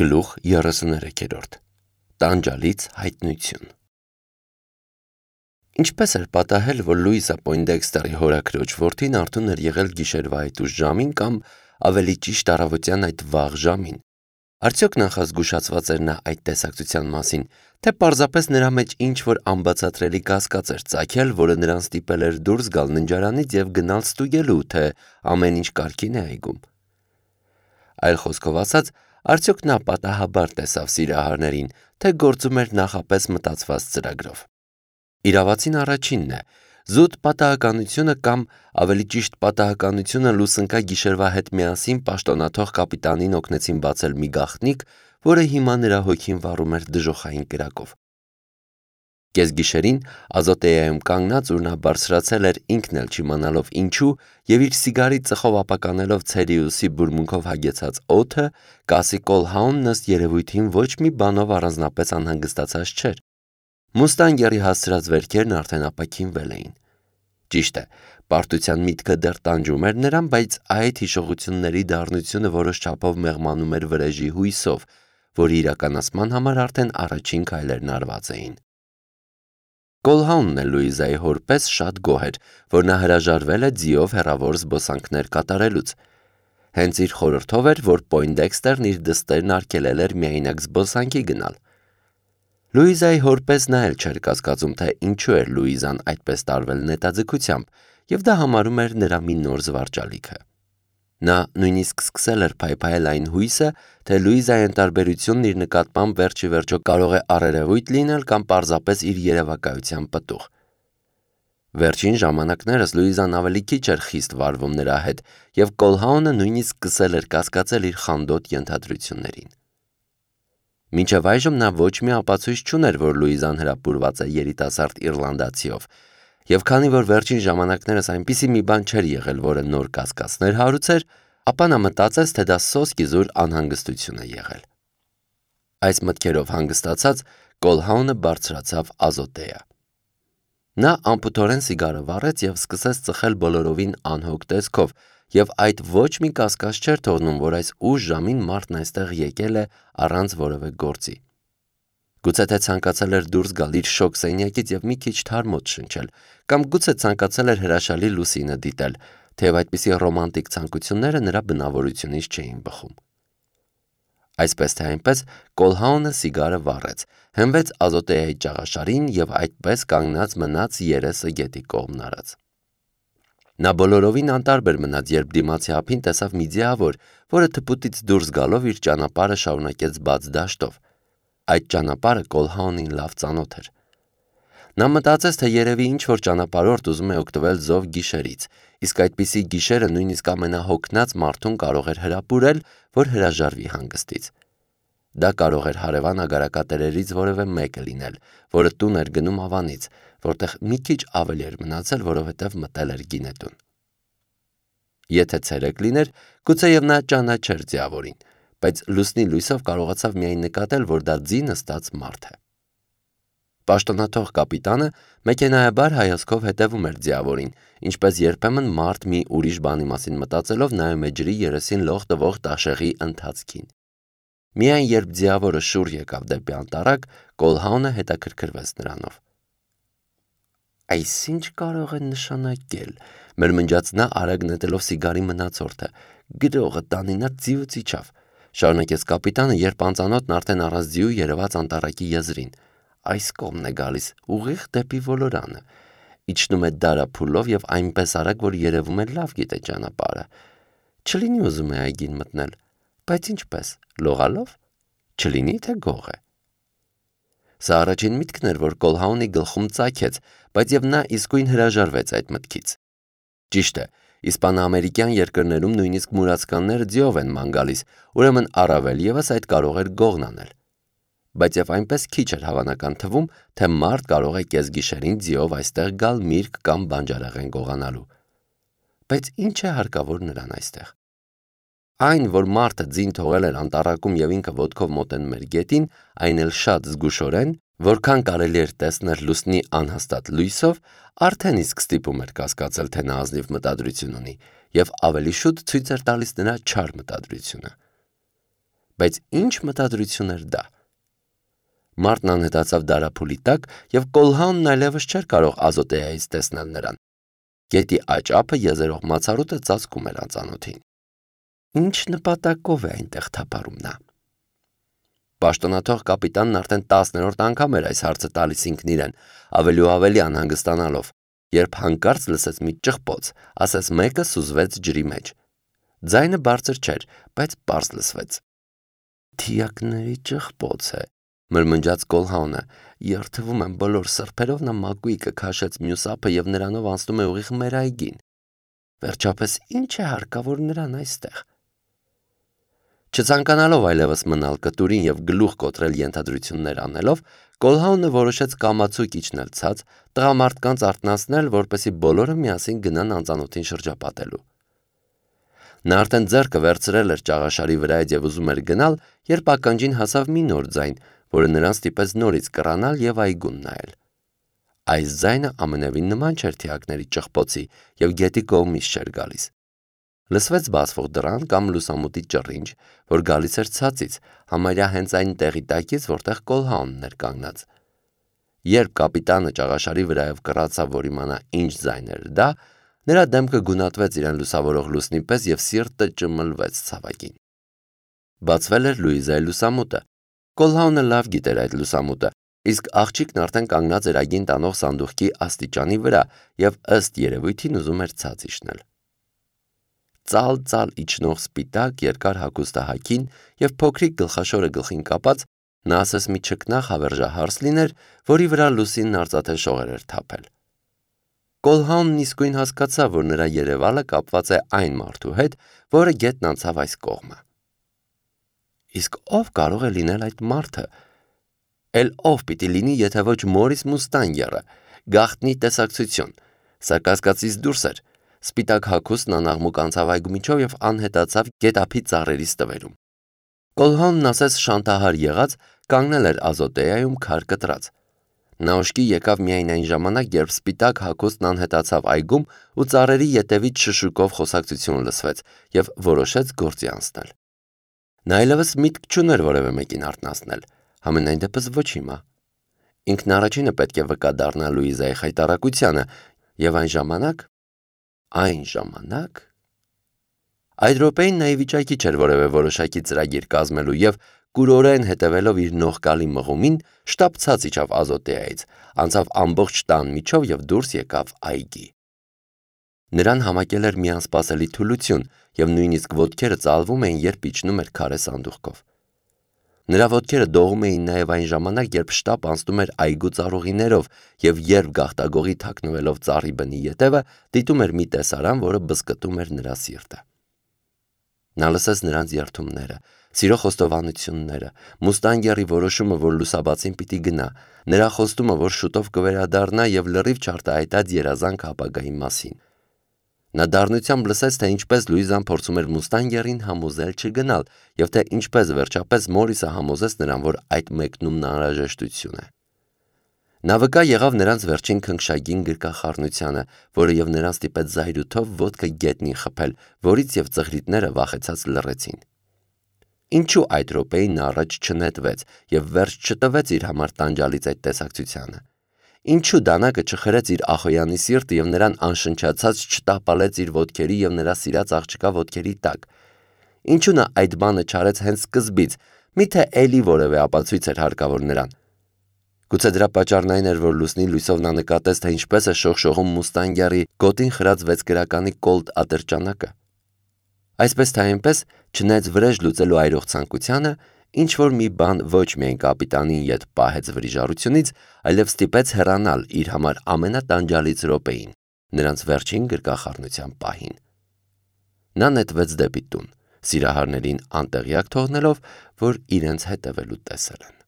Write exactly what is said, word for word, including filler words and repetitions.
Գլուխ երեսուներեքերորդ Տանջալից հայտնություն Ինչպես էր պատահել, որ Լուիսա Պոյնդեքստերի հորաքրոջ որդին արթուն էր եղել գիշերվա այդ ուշ ժամին կամ ավելի ճիշտ առավոտյան այդ վաղ ժամին, արդյոք նախազգուշացված էր նա այդ տեսակցության մասին, թե պարզապես նրա մեջ ինչ-որ անբացատրելի կասկած էր ծագել, որը նրան ստիպել էր դուրս գալ ննջարանից և գնալ ստուգելու, թե ամեն ինչ կարգին է այգում: Այլ խոսքով ասած, արդյոք նա պատահաբար տեսավ սիրահարներին, թե գործում էր նախապես մտածված ծրագրով: Իրավացին առաջինն է, զուտ պատահականությունը կամ ավելի ճիշտ պատահականությունը լուսնկա գիշերվա հետ միասին պաշտոնաթող կապիտանին օգնեցին բացել մի գաղտնիք, որը հիմա նրա հոգին վառում էր դժոխային կրակով: Կեսգիշերին Ազոտեայում կանգնած, ուր նա բարձրացել էր ինքն էլ չիմանալով ինչու և իր սիգարի ծխով ապականելով Ցելիուսի բուրմունքով հագեցած օդը, Կասի Կոլհաունն ըստ երևույթին ոչ մի բանով առանձնապես անհանգստացած չէր: Մուստանգերի հասցրած վերքերն արդեն ապաքինվել էին: Ճիշտ է, պարտության միտքը դեռ տանջում էր նրան, բայց այդ հիշողությունների դառնությունը որոշ չափով մեղմանում էր վրեժի հույսով, որի իրականացման համար արդեն առաջին քայլերն արված էին: Կոլհաունն էլ Լուիզայի հոր պես շատ գոհ էր, որ նա հրաժարվել է ձիով հեռավոր զբոսանքներ կատարելուց: Հենց իր խորհրդով էր, որ Պոյնդեքստերն իր դստերն արգելել էր միայնակ զբոսանքի գնալ: Լուիզայի հոր պես նա էլ չէր կասկածում, թե ինչու էր Լուիզան այդպես տարվել նետաձգությամբ և դա համարում էր նրա մի նոր զվարճալիքը: Նա նույնիսկ սկսել էր փայփայել այն հույսը, թե Լուիզայի ընտարբերությունն իր նկատմամբ վերջիվերջո կարող է առերևույթ լինել կամ պարզապես իր երևակայության պտուղ: Վերջին ժամանակներս Լուիզան ավելի քիչ էր խիստ վարվում նրա հետ և Կոլհաունը նույնիսկ սկսել էր կասկածել իր խանդոտ ենթադրություններին: Մինչև այժմ նա ոչ մի ապացույց չուներ, որ Լուիզան հրապուրված է երիտասարդ իռլանդացիով և քանի որ վերջին ժամանակներս այնպիսի մի բան չէր եղել, որը նոր կասկածներ հարուցեր, ապա նա մտածեց, թե դա սոսկիզուր անհանգստություն է եղել: Այս մտքերով հանգստացած, Կոլհաունը բարձրացավ Ազոտեա: Նա անփութորեն սիգարը վառեց և սկսեց ծխել բոլորովին անհոգ տեսքով և այդ ոչ մի կասկած չէր թողնում, որ այս ուշ ժամին մարդն այստեղ եկել է առանց որևէ գործի: Գուցե թե ցանկացել էր դուրս գալ իր շոգ սենյակից և մի քիչ թարմոց շնչել կամ գուցե ցանկացել էր հրաշալի լուսինը դիտել, թեև այդպիսի ռոմանտիկ ցանկությունները նրա բնավորությունից չէին բխում: Այսպես թե այնպես, Կոլհաունը սիգարը վառեց, հենվեց Ազոտեայի ճաղաշարին և այդպես կանգնած մնաց երեսը գետի կողմն արած: Նա բոլորովին անտարբեր մնաց, երբ դիմացի ափին տեսավ մի ձիավոր, որը թփուտից դուրս գալով իր ճանապարհը շարունակեց բաց դաշտով: Այդ ճանապարհը Կոլհաունին լավ ծանոթ էր: Նա մտածեց, թե երևի ինչ-որ ճանապարհորդ ուզում է օգտվել զով գիշերից, իսկ այդպիսի գիշերը նույնիսկ ամենահոգնած մարդուն կարող էր հրապուրել, որ հրաժարվի հանգստից: Դա կարող էր հարևան ագարակատերերից որևէ մեկը լինել, որը տուն էր գնում Ավանից, որտեղ մի քիչ ավելի էր մնացել, որովհետև մտել էր գինետուն: Եթե ցերեկ լիներ, գուցեև նա ճանաչեր ձիավորին, բայց լուսնի լույսով կարողացավ միայն նկատել, որ դա ձի նստած մարդ է: Պաշտոնաթող կապիտանը մեքենայաբար հայացքով հետևում էր ձիավորին, ինչպես երբեմն մարդ մի ուրիշ բանի մասին մտածելով նայում է ջրի երեսին լող տվող տաշեղի ընթացքին: Միայն երբ ձիավորը շուռ եկավ դեպի անտառակ, Կոլհաունը հետաքրքրվեց նրանով: Այս ի՞նչ կարող է նշանակել, մրմնջաց նա արագ նետելով սիգարի մնացորդը, գրողը տանի, նա ձիուց իջավ, շարունակեց կապիտանը, երբ անծանոթն արդեն առանց ձիու երևաց անտառակի եզրին, այս կողմն է գալիս, ուղիղ դեպի ոլորանը, իջնում է դարափուլով և այնպես արագ, որ երևում է լավ գիտե ճանապարհը, չլինի ուզում է այգին մտնել, բայց ինչպես, լողալո՞վ, չլինի թե գող է: Սա առաջին միտքն էր, որ Կոլհաունի գլխում ծագեց, բայց և նա իսկույն հրաժարվեց այդ մտքից: Ճիշտ է, իսպանա-ամերիկյան երկրներում նույնիսկ մուրացկանները ձիով են ման գալիս, ուրեմն առավել ևս այդ կարող էր գողն անել: Բայց և այնպես քիչ էր հավանական թվում, թե մարդ կարող է կեսգիշերին ձիով այստեղ գալ միրգ կամ բանջարեղեն գողանալու: Բայց ի՞նչ է հարկավոր նրան այստեղ: Այն, որ մարդը ձին թողել էր անտառակում և ինքը ոտքով մոտենում էր գետին, այն էլ շատ զգուշորեն, որքան կարելի էր տեսնել լուսնի անհաստատ լույսով, արդեն իսկ ստիպում էր կասկածել, թե նա ազնիվ մտադրություն ունի և ավելի շուտ ցույց էր տալիս նրա չար մտադրությունը: Բայց ինչ մտադրություն էր դա։ Մարդն անհետացավ դարափուլի տակ և Կոլհաունն այլևս չէր կարող Ազոտեայից տեսնել նրան։ Գետի աջ ափը եզերող մացառուտը ծածկում էր անծանոթին։ Ինչ նպատակով է այնտեղ թափառում նա։ Պաշտոնաթող կապիտանն արդեն տասներորդ անգամ էր այս հարցը տալիս ինքն իրեն, ավելի ու ավելի անհանգստանալով, երբ հանկարծ լսեց մի ճղպոց, ասես մեկը սուզվեց ջրի մեջ։ Ձայնը բարձր չէր, բայց պարզ լսվեց։ Թիակների ճղպոց է, մրմնջաց Կոլհաունը, երթվում եմ բոլոր սրբերով նա մակույկը քաշեց մյուս ափը և նրանով անցնում է ուղիղ մեր այգին։ Վերջապես ինչ է հարկավոր նրան այստեղ։ Չցանկանալով այլևս մնալ կտուրին և գլուխ կոտրել ենթադրություններ անելով, Կոլհաունը որոշեց կամացուկ իջնել ցած, տղամարդկանց արթնացնել, որպեսզի բոլորը միասին գնան անծանոթին շրջապատելու։ Նա արդեն ձեռքը վերցրել էր ճաղաշարի վրայից և ուզում էր գնալ, երբ ականջին հասավ մի նոր ձայն, որը նրան ստիպեց նորից կռանալ և այգուն նայել։ Այս ձայնը ամենևին նման չէր թիակների ճղպոցի և գետի կողմից չէր գալիս։ Լսվեց բացվող դռան կամ լուսամուտի ճռինչ, որ գալիս էր ցածից, համարյա հենց այն տեղի տակից, որտեղ Կոլհաունն էր կանգնած։ Երբ կապիտանը ճաղաշարի վրայով կռացավ, որ իմանա ինչ ձայն էր դա, նրա դեմքը գունատվեց իրեն լուսավորող լուսնի պես և սիրտը ճմլվեց ցավակին։ Բացվել էր Լուիզայի լուսամուտը։ Կոլհաունը լավ գիտեր այդ լուսամուտը, իսկ աղջիկն արդեն կանգնած էր այգին տանող սանդուղքի աստիճանի վրա և ըստ երևույթին ուզում էր ցած իջնել։ Ծալ-ծալ իջնող սպիտակ երկար հագուստահագին և փոքրիկ գլխաշորը գլխին կապած, նա ասես մի չքնաղ հավերժահարս լիներ, որի վրա լուսինն արծաթե շողեր էր թափել։ Կոլհաունն իսկույն հասկացավ, որ նրա երևալը կապված է այն մարդու հետ, որը գետն անցավ այս կողմը։ Իսկ ով կարող է լինել այդ մարդը։ Էլ ով պիտի լինի, եթե ոչ Մորիս Մուստանգերը, գաղտնի տեսակցություն, սա կասկածից դուրս էր։ Սպիտակ հագուստն անաղմուկ անցավ այգու միջով և անհետացավ գետափի ծառերի ստվերում։ Կոլհաունն ասես շանթահար եղած կանգնել էր Ազոտեայում քար կտրած։ Նա ուշքի եկավ միայն այն ժամանակ, երբ սպիտակ հագուստն անհետացավ այգում ու ծառերի ետևից շշուկով խոսակցություն լսվեց և որոշեց գործի անցնել։ Նա այլևս միտք չուներ որևէ մեկին արթնացնել, համենայն դեպս ոչ հիմա։ Ինքն առաջինը պետք է վկա դառնա Լուիզայի խայտառակությանը և այն ժամանակ… Այն ժամանակ… Այդ րոպեին նա ի վիճակի չէր որևէ որոշակի ծրագիր կազմելու և, կուրորեն հետևելով իր նողկալի մղումին, շտապ ցած իջավ Ազոտեայից, անցավ ամբողջ տան միջով և դուրս եկավ այգի։ Նրան համակել էր մի անսպասելի թուլություն և նույնիսկ ոտքերը ծալվում էին, երբ իջնում էր քարե սանդուղքով։ Նրա ոտքերը դողում էին նաև այն ժամանակ, երբ շտապ անցնում էր այգու ծառուղիներով և երբ գաղտագողի թաքնվելով ծառի բնի ետևը դիտում էր մի տեսարան, որը բզկտում էր նրա սիրտը։ Նա լսեց նրանց երդումները, սիրո խոստովանությունները, Մուստանգերի որոշումը, որ լուսաբացին պիտի գնա, նրա խոստումը, որ շուտով կվերադառնա և լրիվ չարտահայտած երազանք ապագայի մասին։ Նա դառնությամբ լսեց, թե ինչպես Լուիզան փորձում էր Մուստանգերին համոզել չգնալ և թե ինչպես վերջապես Մորիսը համոզեց նրան, որ այդ մեկնումն անհրաժեշտություն է։ Նա վկա եղավ նրանց վերջին քնքշագին գրկախառնությանը, որը և նրան ստիպեց զայրույթով ոտքը գետնին խփել, որից և ծղրիդները վախեցած լռեցին։ Ինչու այդ րոպեին նա առաջ չնետվեց և վերջ չտվեց իր համար տանջալից այդ տեսակցությանը։ Ինչու դանակը չխրեց իր ախոյանի սիրտը և նրան անշնչացած չտապալեց իր ոտքերի և նրա սիրած աղջկա ոտքերի տակ։ Ինչու նա այդ բանը չարեց հենց սկզբից, միթե էլի որևէ ապացույց էր հարկավոր նրան։ Գուցե դրա պատճառն այն էր, որ լուսնի լույսով նա նկատեց, թե ինչպես է շողշողում Մուստանգերի գոտին խրած վեցկրականի կոլտ ատրճանակը։ Այսպես թե այնպես, չնայած վրեժ լուծելու այրող ցանկությանը, ինչ-որ մի բան ոչ միայն կապիտանին ետ պահեց վրիժառությունից, այլև ստիպեց հեռանալ իր համար ամենատանջալից րոպեին, նրանց վերջին գրկախառնության պահին։ Նա նետվեց դեպի տուն, սիրահարներին անտեղյակ թողնելով, որ իրենց հետևելու տեսել են։